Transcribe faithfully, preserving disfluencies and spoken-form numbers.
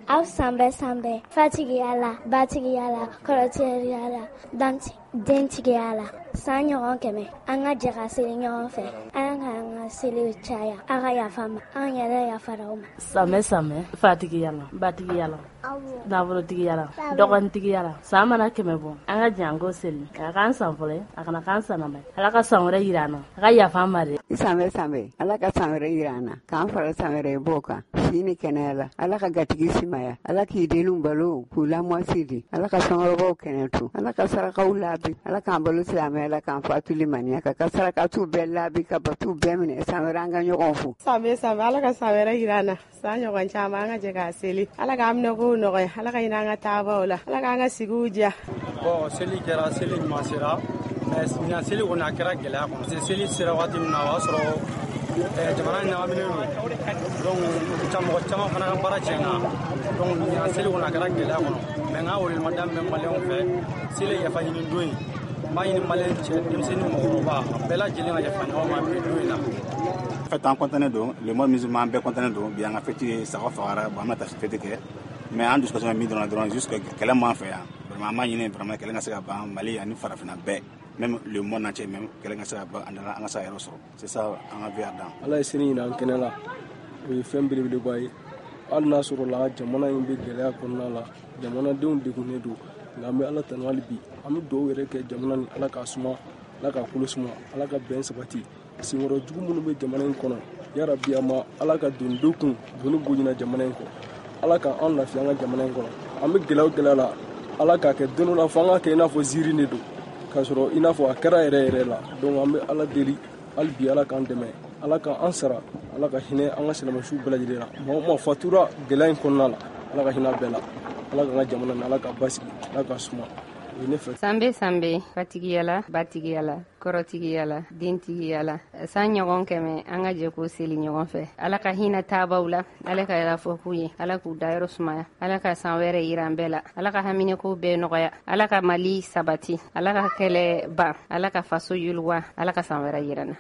Aw san bɛɛ san bɛɛ, fatigiya la, batigiya la, kɔrɔtɛriya la, dentigiya la. San ɲɔgɔn kɛmɛ, an ka jɛ ka seli ɲɔgɔn fɛ. Ala k'an ka seliw caya, a ka yafa an ma, an yɛrɛ yafara aw ma. San bɛ san bɛɛ, fatigiya la, batigiya la, nafolotigiya la, dɔgɔnintigiya la. San mana kɛmɛ bɔ, an ka jɛ an k'o seli. A k'an san fɔlɔ ye, a kana k'an san laban ye. Ala ka san wɛrɛ yira an na, a ka yafa an ma dɛ. San bɛ san bɛɛ, Ala ka san wɛrɛ yira an na, k'an fara san wɛrɛ b'o kan, si ni kɛnɛya la. Ala ka gatigi simaya, Ala k'i denw balo k'u lamɔsi di, Ala ka sɔngɔrɔbaw kɛnɛ to, Ala ka sarakaw laabi, Ala k'an balo silamɛya la, k'an fatuli maniya kan, ka sarakatiw bɛɛ laabi, ka batuw bɛɛ minɛ. San wɛrɛ an ka ɲɔgɔn fo. San bɛ san bɛɛ, Ala ka san wɛrɛ yira an na. San ɲɔgɔn caman an ka jɛ k'a seli. Ala k'an minɛ kow nɔgɔya, Ala ka hinɛ an ka taabaw la, Ala k'an ka sigiw diya. Bon, seli kɛra, seli ɲuman sera, mais ɲinan seli kɔni a kɛra gɛlɛya kɔnɔ. Parce que seli sera waati min na, o y'a sɔrɔ jamana ɲagaminen don, donc mɔgɔ caman fana ka baara tiɲɛna. Donc ɲinan seli kɔni a kɛra gɛlɛya kɔnɔ. Mais n ka weleweleda min bɛ maliyɛnw fɛ, seli ye yafa ɲini don ye. N b'a ɲini maliyɛn cɛ, denmisɛnnin, mɔgɔkɔrɔba, a bɛɛ lajɛlen ka yafa ɲɔgɔn ma bi don in na. En fait, an content don, le monde musulman bɛɛ content don bi. An ka fête ye, saga fagara. Bon, an bɛna taa fête kɛ, mais an dusukasi bɛ min dɔrɔn dɔrɔn, juste kɛlɛ m'an fɛ yan. Vraiment, an b'a ɲini vraiment kɛlɛ ka se ka ban Mali ani farafinna bɛɛ, même le monde entier même. Kɛlɛ ka se ka ban, an ka se ka yɔrɔ sɔrɔ. C'est ça an ka vie a dan. Ala ye seli ɲina an kɛnɛ la, o ye fɛn belebeleba ye. Hali n'a sɔrɔ la jamana in bɛ gɛlɛya kɔnɔna la, jamanadenw degunnen don, nka an bɛ Ala tanu hali bi. An bɛ dugawu yɛrɛ kɛ jamana ni Ala k'a suma, Ala k'a kolo suma, Ala ka bɛn sabati. Senkɔrɔ jugu minnu bɛ jamana in kɔnɔ, yarabi a ma Ala ka don do kun doni bonyana jamana in kɔ. Ala ka an lafiya an ka jamana in kɔnɔ. An bɛ gɛlɛya o gɛlɛya la, Ala k'a kɛ don dɔ la fo an ka kɛ i n'a fɔ ziiri de don, k'a sɔrɔ i n'a fɔ a kɛra yɛrɛ yɛrɛ la. Donc an bɛ Ala deli hali bi, Ala k'an dɛmɛ, Ala k'an sara, Ala ka hinɛ an ka silamɛsiw bɛɛ lajɛlen na. Maa o maa fatura gɛlɛya in kɔnɔna la, Ala ka hinɛ bɛɛ la. Ala k'an ka jamana ni Ala ka basigi, Ala ka suma. O ye ne fɛ. San bɛ san bɛ, fatigiya la, batigiya la, kɔrɔtigiya la, dentigiya la. San ɲɔgɔn kɛmɛ, an ka jɛ k'o seli ɲɔgɔn fɛ. Ala ka hinɛ taabaw la, Ala ka yafa k'u ye, Ala k'u dayɔrɔ sumaya, Ala ka san wɛrɛ yira an bɛɛ la, Ala ka haminɛko bɛɛ nɔgɔya, Ala ka Mali sabati, Ala ka kɛlɛ ban, Ala ka faso yiriwa, Ala ka san wɛrɛ yira an na.